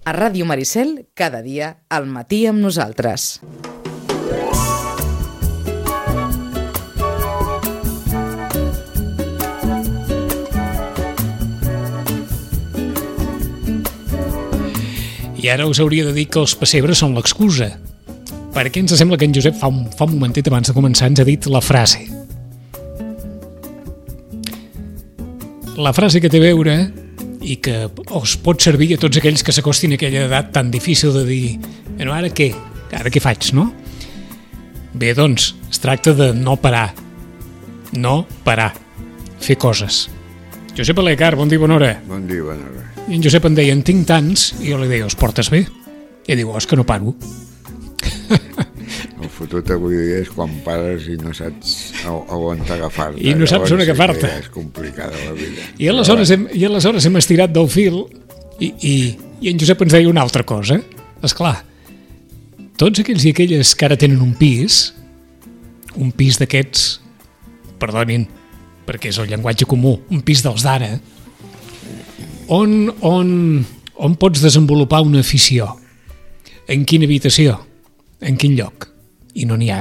A Ràdio Maricel, cada dia, al matí amb nosaltres. I ara us hauria de dir que els pessebres són l'excusa, perquè ens sembla que en Josep fa un momentet abans de començar ens ha dit la frase. La frase que té a veure i que us pot servir a tots aquells que s'acostin a aquella edat tan difícil de dir bueno, ara què? Ara què faig, no? Bé, doncs, es tracta de no parar. No parar. Fer coses. Josep Alecar, bon dia, bona hora. Bon dia, bona hora. I en Josep em deia, en tinc tants, i jo li deia, els portes bé? I diu, és que no paro. El fotut avui és quan pares i no saps on t'agafar-te. I no saps on agafar-te. És complicada la vida. I aleshores hem estirat del fil i en Josep ens deia una altra cosa. Esclar, tots aquells i aquelles que ara tenen un pis d'aquests, perdonin, perquè és el llenguatge comú, un pis dels d'ara, on pots desenvolupar una afició? En quina habitació? En quin lloc? I no n'hi ha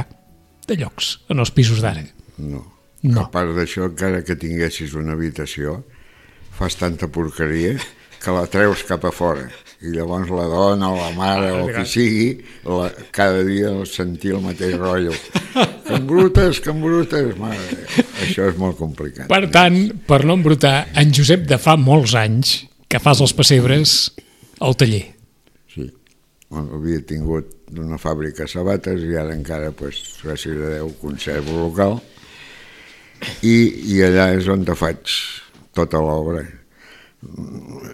de llocs en els pisos d'ara. No. No. A part d'això, encara que tinguessis una habitació, fas tanta porqueria que la treus cap a fora. I llavors la dona o la mare o qui sigui, cada dia sentir el mateix rotllo. Que embrutes, mare. Això és molt complicat. Per tant, per no embrutar, en Josep de fa molts anys que fas els pessebres al taller. Sí. Havia tingut una fàbrica de sabates i ara encara, gràcies a Déu, conservo local i allà és on te faig tota l'obra,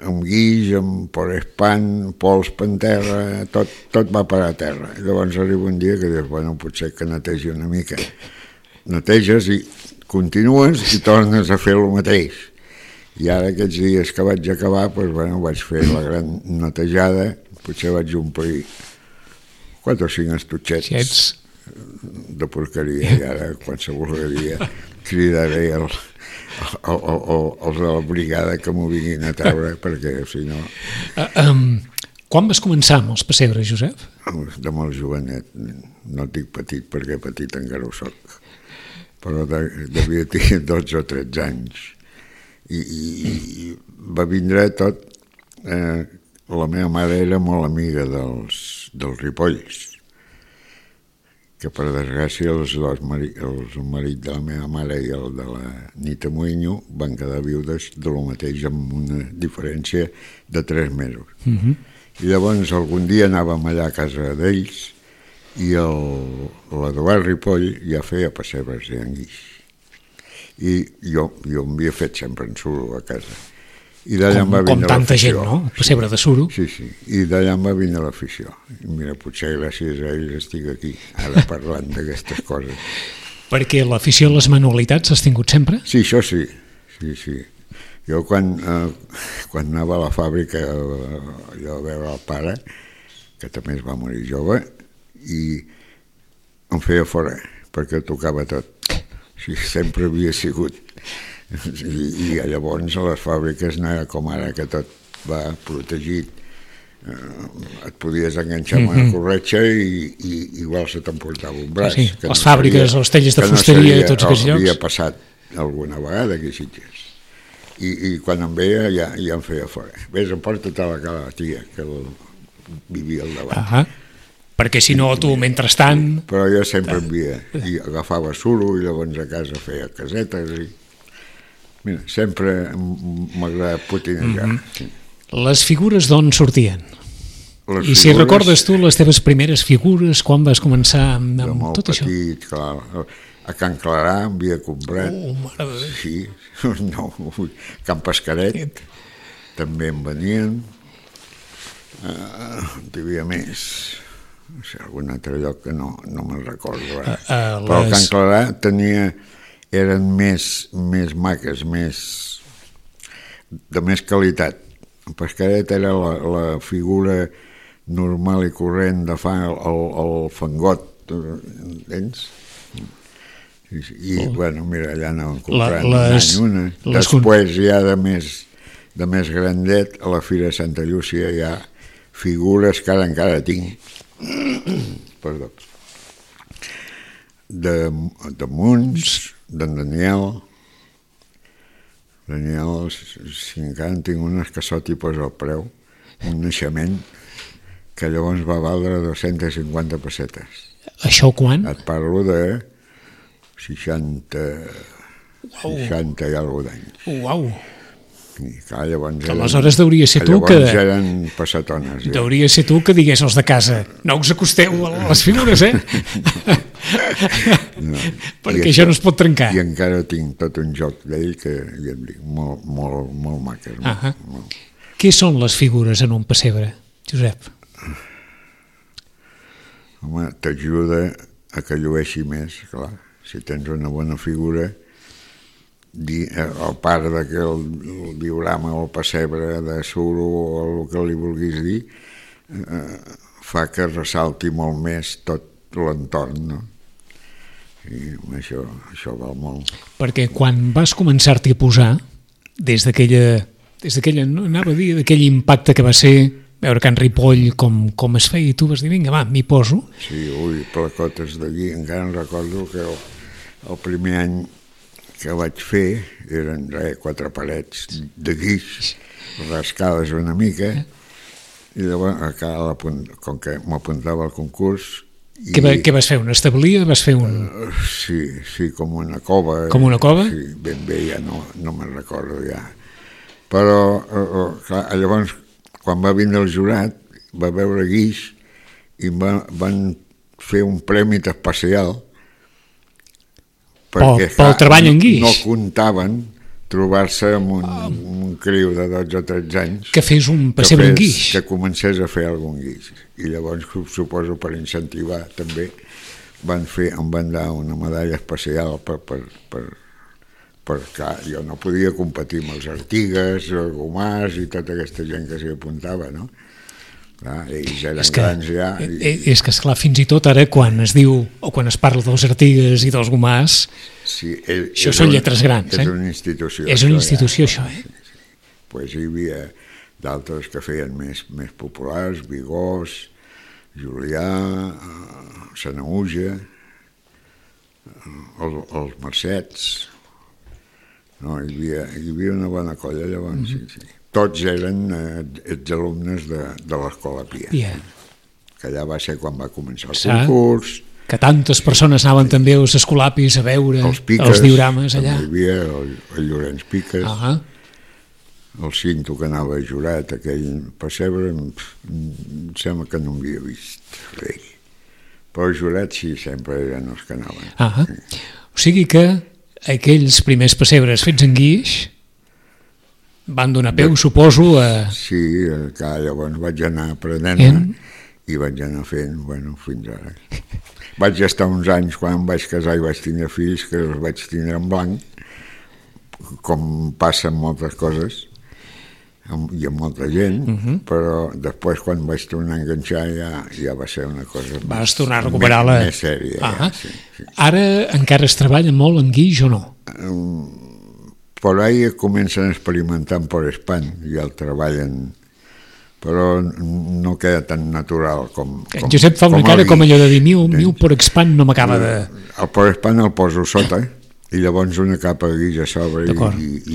amb guix, amb porespan, pols per terra, tot va parar a terra. I llavors arriba un dia que dius, bueno, potser que netegi una mica. Neteges i continues i tornes a fer el mateix. I ara aquests dies que vaig acabar, vaig fer la gran netejada, potser vaig omplir 4 o 5 estutxets de porqueria i ara qualsevol dia cridaré els de la brigada que m'ho vinguin a treure perquè si no... Quan vas començar amb els pessebres, Josep? De molt jovenet, no et dic petit perquè petit encara ho soc, però devia tenir 12 o 13 anys i va vindre tot... La meva mare era molt amiga dels Ripolls, que per desgràcia el marit de la meva mare i el de la Nita Moinho van quedar viudes de lo mateix amb una diferència de 3 mesos. I llavors algun dia anàvem allà a casa d'ells i l'Eduard Ripoll ja feia pessebres de guix. I jo m'havia fet sempre en suro a casa. I d'allà em va vindre l'afició. Com tanta gent, no? Pessebre de suro. Sí. I d'allà em va vindre l'afició. I mira, potser gràcies a ells estic aquí, ara parlant d'aquestes coses. Perquè l'afició a les manualitats has tingut sempre? Sí, això sí. Sí. Jo quan anava a la fàbrica allò a veure el pare, que també es va morir jove, i em feia fora, perquè tocava tot. Sí, sempre havia sigut... I llavors a les fàbriques no era com ara que tot va protegit, et podies enganxar amb una corretxa i igual se t'emportava un braç. Sí, les fàbriques, els tallers de fusteria, tots aquests llocs. Havia passat alguna vegada aquí a Sitges i quan em veia ja em feia fora. Ves, emporta-te la tia que vivia al davant. Perquè si no tu mentrestant... Però jo sempre i agafava suro i llavors a casa feia casetes i... Mira, sempre m'agrada potinejar. Les figures d'on sortien? I si recordes tu les teves primeres figures, quan vas començar amb tot això? De molt petit, clar. A Can Clarà em havia comprat. Mare de Déu. Sí, no, Can Pescaret, també en venien. Hi havia més, no sé, algun altre lloc que no me'n recordo. Però Can Clarà eren més maques, de més qualitat. En Pescaret era la figura normal i corrent de fa el fangot, entens? I bueno, mira, allà anaven comprant un any una. Després ja de més grandet, a la Fira de Santa Llúcia ja figures que ara encara tinc, perdó, de Munts, d'en Daniel, si encara en tinc unes que sot i posa el preu, un naixement que llavors va valdre 250 pessetes. Això quan? Et parlo de 60 i alguna d'anys. Uau! I clar, llavors aleshores deuria ser tu que... Llavors eren passatones. Ja. Deuria ser tu que digués als de casa, no us acosteu a les figures, No. Perquè això no es pot trencar. I encara tinc tot un joc d'ell que ja et dic, molt maques. Molt. Què són les figures en un pessebre, Josep? Home, t'ajuda a que llueixi més, clar. Si tens una bona figura, a part que el diorama o el pessebre de suro o el que li vulguis dir, fa que ressalti molt més tot l'entorn, no? I això val molt. Perquè quan vas començar-t'hi a posar, des d'aquella, no anava a dir, d'aquell impacte que va ser veure Can Ripoll com es feia, i tu vas dir, vinga, va, m'hi poso. Sí, placotes d'allí, encara em recordo que el primer any que vaig fer eren 4 parets de guix, rascades una mica, i llavors, com que m'apuntava al concurs... Què vas fer, una establia? Vas fer un... Sí, com una cova. Com una cova? Sí, ben bé, ja no me'n recordo ja. Però, clar, llavors, quan va vindre el jurat, va veure guix i van fer un premi especial perquè pel treball en guix. No comptaven trobar-se amb un criu de 12 o 13 anys que fes un pessebre en guix, que comencés a fer algun guix, i llavors suposo per incentivar també em van dar una medalla especial perquè jo no podia competir amb els Artigues, el Gomàs i tota aquesta gent que s'hi apuntava, no? Clar, ells eren grans ja. És que, esclar, fins i tot ara quan es diu o quan es parla dels Artigues i dels Gomàs, sí, això són lletres grans. És una institució. És una institució, això, Sí. Pues hi havia d'altres que feien més populars, Vigós, Julià, Sanaüja, els Mercets. No, hi havia una bona colla llavors, sí. Tots eren exalumnes de l'Escola Pia, que allà va ser quan va començar el concurs. Que tantes persones anaven també als escolapis a veure els diorames allà. També hi havia el Llorenç Piques, el Cinto que anava jurat, aquell pessebre, em sembla que no m'havia vist ell. Però els jurats sí, sempre eren els que anaven. O sigui que aquells primers pessebres fets en guix van donar peu, suposo, a... Sí, llavors vaig anar aprenent i vaig anar fent, fins ara. Vaig estar uns anys, quan em vaig casar i vaig tindre fills, que els vaig tindre en blanc, com passa amb moltes coses, i amb molta gent, però després, quan vaig tornar a enganxar, ja va ser una cosa vas tornar a recuperar més sèria. Sí. Ara encara es treballa molt en guix o no? Per ahí comencen a experimentar amb Porespan i el treballen, però no queda tan natural com Josep fa una cara com allò de dir miu Porespan no m'acaba de... El Porespan el poso sota i llavors una capa de guix a sobre.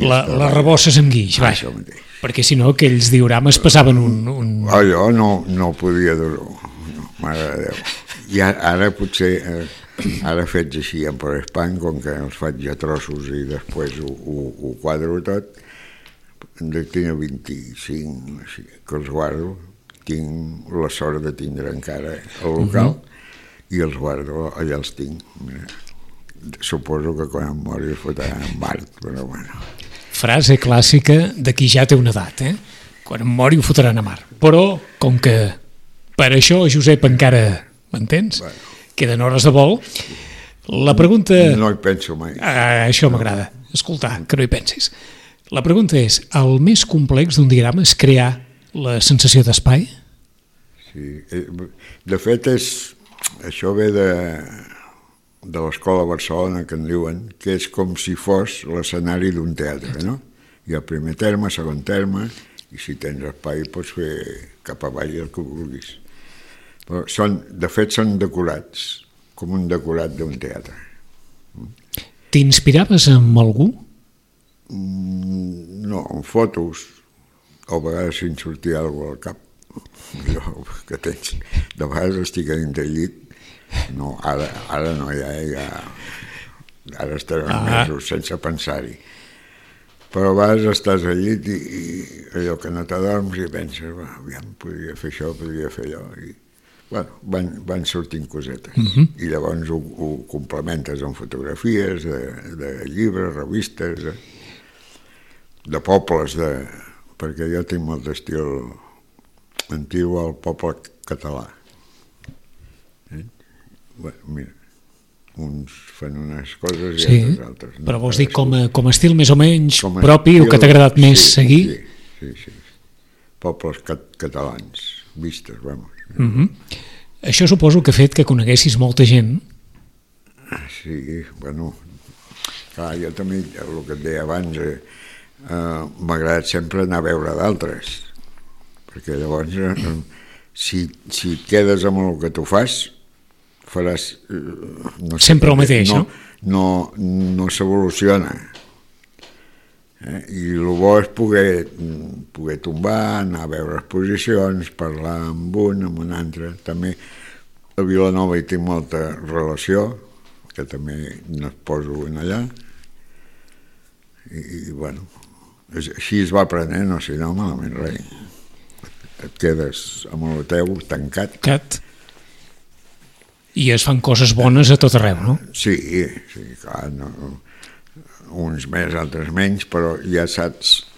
La rebosses amb guix, això mateix. Perquè si no aquells diorames passaven un... Allò no podia dur-ho, mare de Déu. I ara potser... Ara fets així en Porespan, com que els faig a trossos i després ho quadro tot, en tinc 25, així, que els guardo. Tinc la sort de tindre encara el local i els guardo, allà els tinc. Suposo que quan em mori es fotran en Mart, però bueno. Frase clàssica de qui ja té una edat, Quan em mori ho fotran a Mart. Però, com que per això, Josep, encara, m'entens? Queden hores de vol. La pregunta... No hi penso mai. Això m'agrada, escoltar, que no hi pensis. La pregunta és, el més complex d'un diagrama és crear la sensació d'espai? Sí, de fet això ve de l'Escola Barcelona, que en diuen, que és com si fos l'escenari d'un teatre, no? Hi ha el primer terme, segon terme, i si tens espai pots fer cap avall el que vulguis. Però de fet són decorats, com un decorat d'un teatre. T'inspiraves amb algú? No, en fotos, o a vegades si em sortia alguna cosa al cap. Jo, que tens, de vegades estic a dintre el llit, no, ara no, ja ara estaré mesos sense pensar-hi. Però a vegades estàs al llit i allò que no t'adorms i penses, aviam, podria fer això, podria fer allò. I, bueno, van sortint cosetes. I llavors ho complementes amb fotografies de llibres, revistes, de pobles, perquè jo tinc molt d'estil antiu al poble català. Bueno, mira, uns fan unes coses i altres altres. No? Però vols dir com a estil més o menys propi o que t'ha agradat més seguir? Sí. Pobles catalans, vistes, vamos. Això suposo que ha fet que coneguessis molta gent. Sí, bueno, clar, jo també, el que et deia abans, m'ha agradat sempre anar a veure d'altres, perquè llavors, si et quedes amb el que tu fas, faràs... No sé, sempre el mateix, no? No s'evoluciona. I el bo és poder tombar, anar a veure exposicions, parlar amb un altre. També a Vilanova hi tinc molta relació, que també no es poso en allà. I bueno, així es va aprenent, no, si no, malament res. Et quedes amb el teu tancat. I es fan coses bones a tot arreu, no? Sí, clar, no, uns més, altres menys, però ja saps,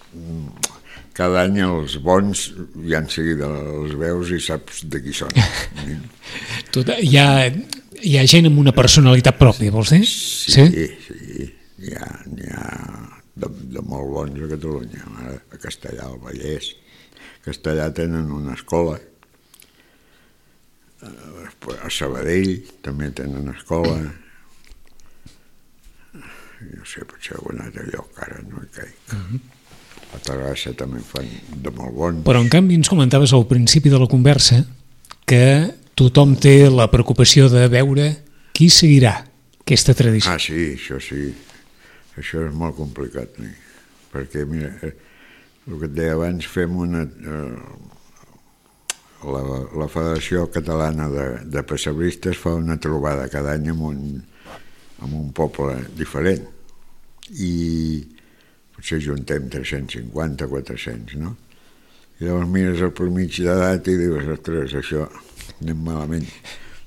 cada any els bons ja en seguida els veus i saps de qui són. Hi ha gent amb una personalitat pròpia, vols dir? Sí, n'hi ha de molt bons a Catalunya, a Castellar, al Vallès. A Castellar tenen una escola, a Sabadell també tenen escola, no sé, potser algun altre lloc ara no hi caic. A Terrassa també fan de molt bons. Però en canvi ens comentaves al principi de la conversa que tothom té la preocupació de veure qui seguirà aquesta tradició. Sí, això sí, això és molt complicat, perquè mira, el que et deia abans, fem la Federació Catalana de Pessebristes fa una trobada cada any en un poble diferent i potser juntem 350, 400, no? I llavors mires el promig d'edat i dius, ostres, això anem malament,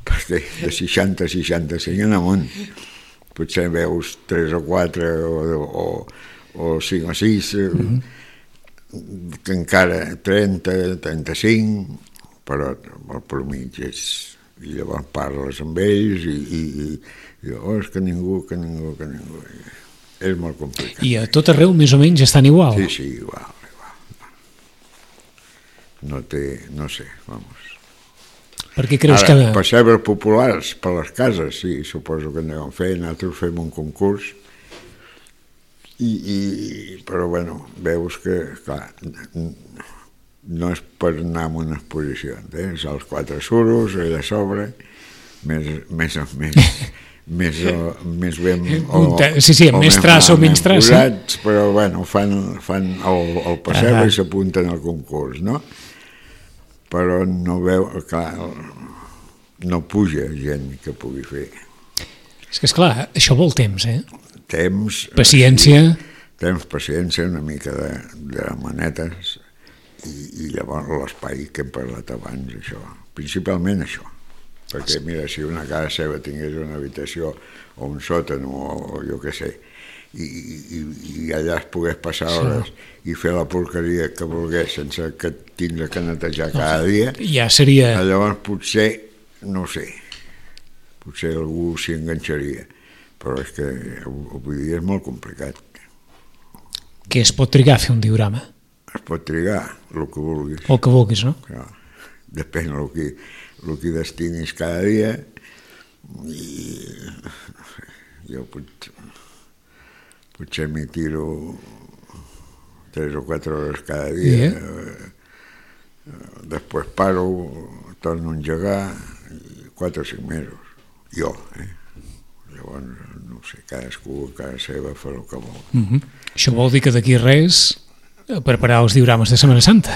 perquè de 60 a 65 en amunt potser veus 3 o 4 o 5 o 6 que encara 30, 35, però el promig és... I llavors parles amb ells i és que ningú... És molt complicat. I a tot arreu més o menys estan igual? Sí, igual. No sé, vamos. Per què creus que... Ara, pessebres populars per les cases, sí, suposo que anem fent, nosaltres fem un concurs, però bueno, veus que, clar, no és per anar a una exposició, és els 4 suros, allà a sobre, més ben amb més traça o menys traça, però bueno, fan el pessebre i s'apunten al concurs, no? Però no veu, clar, no puja gent que pugui fer. És que esclar, això vol temps, Temps, paciència, paciència, una mica de manetes i llavors l'espai que hem parlat abans, això, principalment això, perquè mira, si una casa seva tingués una habitació o un sòtan o jo què sé, i allà es pogués passar hores i fer la porqueria que volgués sense que tindre que netejar cada dia, ja seria... Llavors potser, no sé, potser algú s'hi enganxaria, però és que avui dia és molt complicat. Què es pot trigar a fer un diorama? Es pot trigar el que vulguis. El que vulguis, no? Clar, depèn el que destinis cada dia i jo potser m'hi tiro 3 o 4 hores cada dia. Després paro, torno a engegar, 4 o 5 mesos. Jo, Llavors, no sé, cadascú a casa seva fa el que vol. Això vol dir que d'aquí res preparar els diorames de Setmana Santa?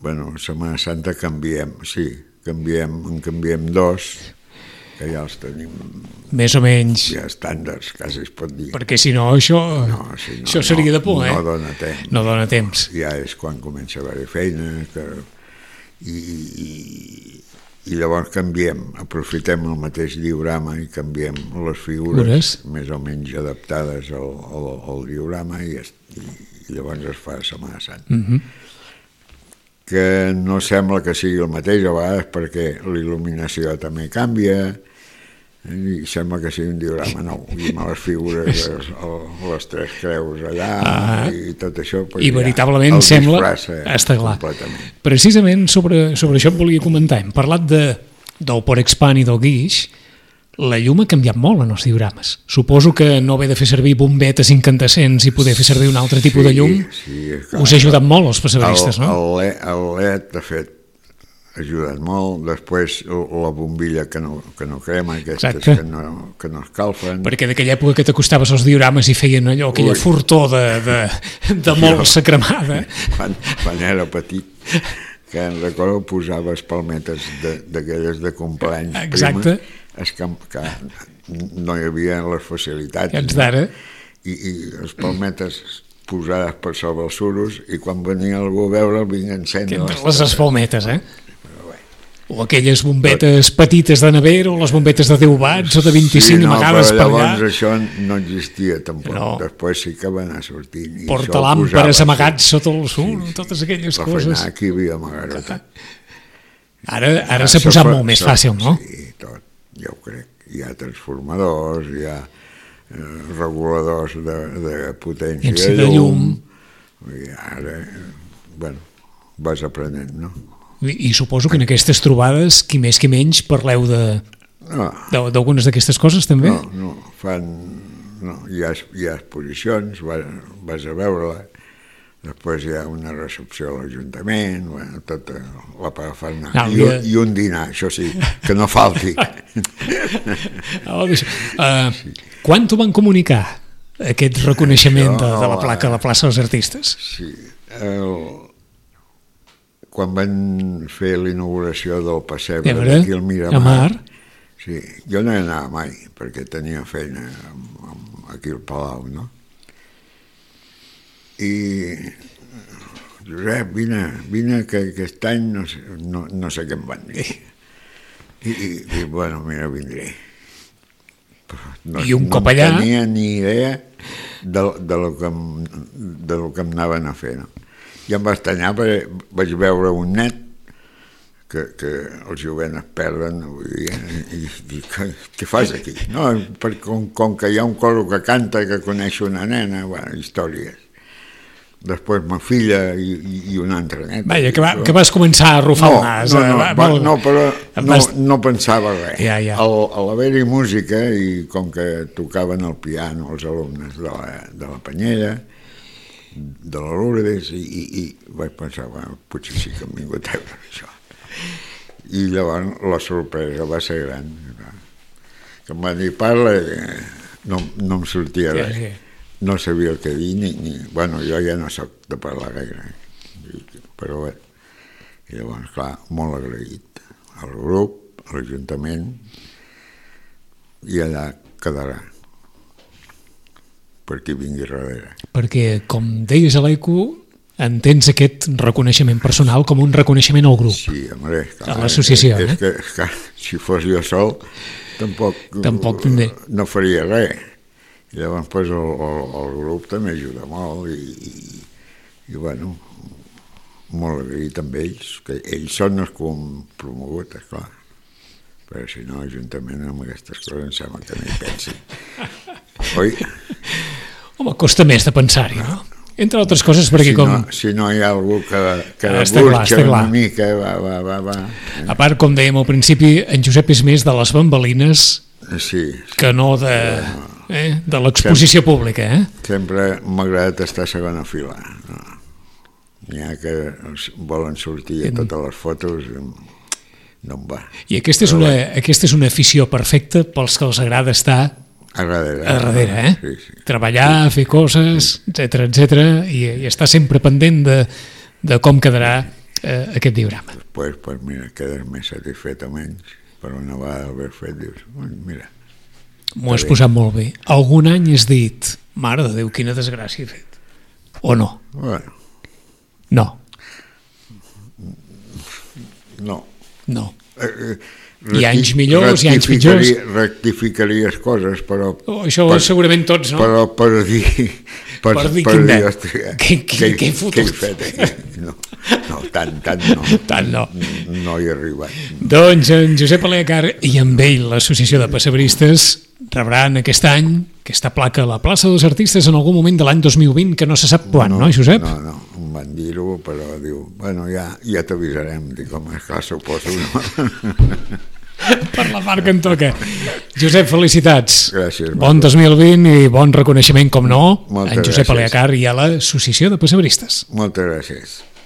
Bueno, Setmana Santa canviem, sí, en canviem 2, que ja els tenim més o menys ja estàndards, quasi es pot dir. Perquè si no, això seria de por, no dona temps. No dona temps. Ja és quan comença a haver feina i llavors canviem, aprofitem el mateix diorama i canviem les figures més o menys adaptades al diorama i llavors es fa Setmana Santa. Que no sembla que sigui el mateix a vegades perquè l'il·luminació també canvia i sembla que sigui un diorama nou i amb les figures, les 3 creus allà i tot això i veritablement sembla està clar. Precisament sobre això et volia comentar. Hem parlat del Porexpan i del guix. La llum ha canviat molt en els diorames. Suposo que no haver de fer servir bombetes incandescents i poder fer servir un altre tipus de llum us ha ajudat molt els pessebristes, no? El LED, de fet, ha ajudat molt. Després la bombilla que no crema, aquestes que no escalfen. Perquè d'aquella època que t'acostaves als diorames i feien allò, aquella fortor de molt sacremada. Quan era petit, que em recordo posaves palmetes d'aquelles de compleanys. Exacte. Que no hi havia les facilitats i les palmetes posades per sobre els suros i quan venia algú a veure el vinc encendre les palmetes, o aquelles bombetes petites de nevera o les bombetes de 10 watts o de 25 amagades per allà. Llavors això no existia tampoc. Després sí que va anar sortint. Portalàmperes amagats sota el suro, totes aquelles coses. La feina aquí havia amagat. Ara s'ha posat molt més fàcil, no? Sí, tot. Ja ho crec. Hi ha transformadors, hi ha reguladors de potència de llum. I ara, bueno, vas aprenent, no? I suposo que en aquestes trobades, qui més qui menys, parleu d'algunes d'aquestes coses, també? No, hi ha exposicions, vas a veure-la, després hi ha una recepció a l'Ajuntament, tota la parafernalia, i un dinar, això sí, que no falti. Quan t'ho van comunicar, aquest reconeixement de la placa a la plaça dels Artistes? Sí, quan van fer l'inauguració del pessebre d'aquí al Miramar, sí, jo no hi anava mai, perquè tenia feina aquí al Palau, no? I Josep, vine que aquest any no sé què em van dir. I bueno, mira, vindré. I un cop allà... No tenia ni idea de lo que em anaven a fer, no? I em va estranyar perquè vaig veure un net que els jovents es perden i què fas aquí? No, com que hi ha un coro que canta que coneix una nena, bueno, històries. Després ma filla i un altre net. Vaja, que vas començar a arrufar el nas. No, però no pensava res. Ja. A l'haver-hi música i com que tocaven el piano els alumnes de la Penyella, de la Lourdes, i vaig pensar, bueno, potser sí que hem vingut a veure això. I llavors la sorpresa va ser gran. Que em van dir, parla, no em sortia res. No sabia el que dir, bueno, jo ja no soc de parlar gaire, però bé. I llavors, clar, molt agraït al grup, a l'Ajuntament, i allà quedarà. Per qui vingui darrere. Perquè, com deies a l'ECO, entens aquest reconeixement personal com un reconeixement al grup. Sí, home, a l'associació. És que si fos jo sol, tampoc no faria res. I llavors pues, el grup també ajuda molt i bueno, molt agraït amb ells, que ells són els que han promogut, esclar. Però si no, l'Ajuntament amb aquestes coses em sembla que no hi pensin. Oi? Home, costa més de pensar-hi, no? Entre altres coses perquè si no hi ha algú que burxa una mica, va. A part, com dèiem al principi, en Josep és més de les bambalines que no de... de l'exposició pública, Sempre m'ha agradat estar a segona fila. N'hi ha que volen sortir a totes les fotos, no em va. I aquesta és una afició perfecta pels que els agrada estar a darrere, Sí. Treballar, fer coses, etc i estar sempre pendent de com quedarà aquest diorama. Després, pues mira, quedes més satisfet o menys, per una vegada haver fet, dius, mira. M'ho has posat molt bé. Algun any has dit, mare de Déu, quina desgràcia he fet. O no? Bueno. No. No. No. Hi ha anys millors, hi ha anys pitjors. Rectificaries coses, però... Això segurament tots, no? Però per dir... Per dir quin net. Què he fotut? Què he fet aquí? No, tant no. Tant no. No hi he arribat. Doncs en Josep Aleacar i amb ell l'Associació de Pessebristes rebran aquest any aquesta placa a la plaça dels Artistes en algun moment de l'any 2020, que no se sap quan, no, Josep? No, em van dir-ho, però diu, bueno, ja t'avisarem. Dic, home, esclar, suposo, no? Per la part que em toca. Josep, felicitats. Gràcies. Bon 2020 i bon reconeixement, com no, Moltes en Josep gràcies. Aleacar i a l'Associació de Pessebristes. Moltes gràcies.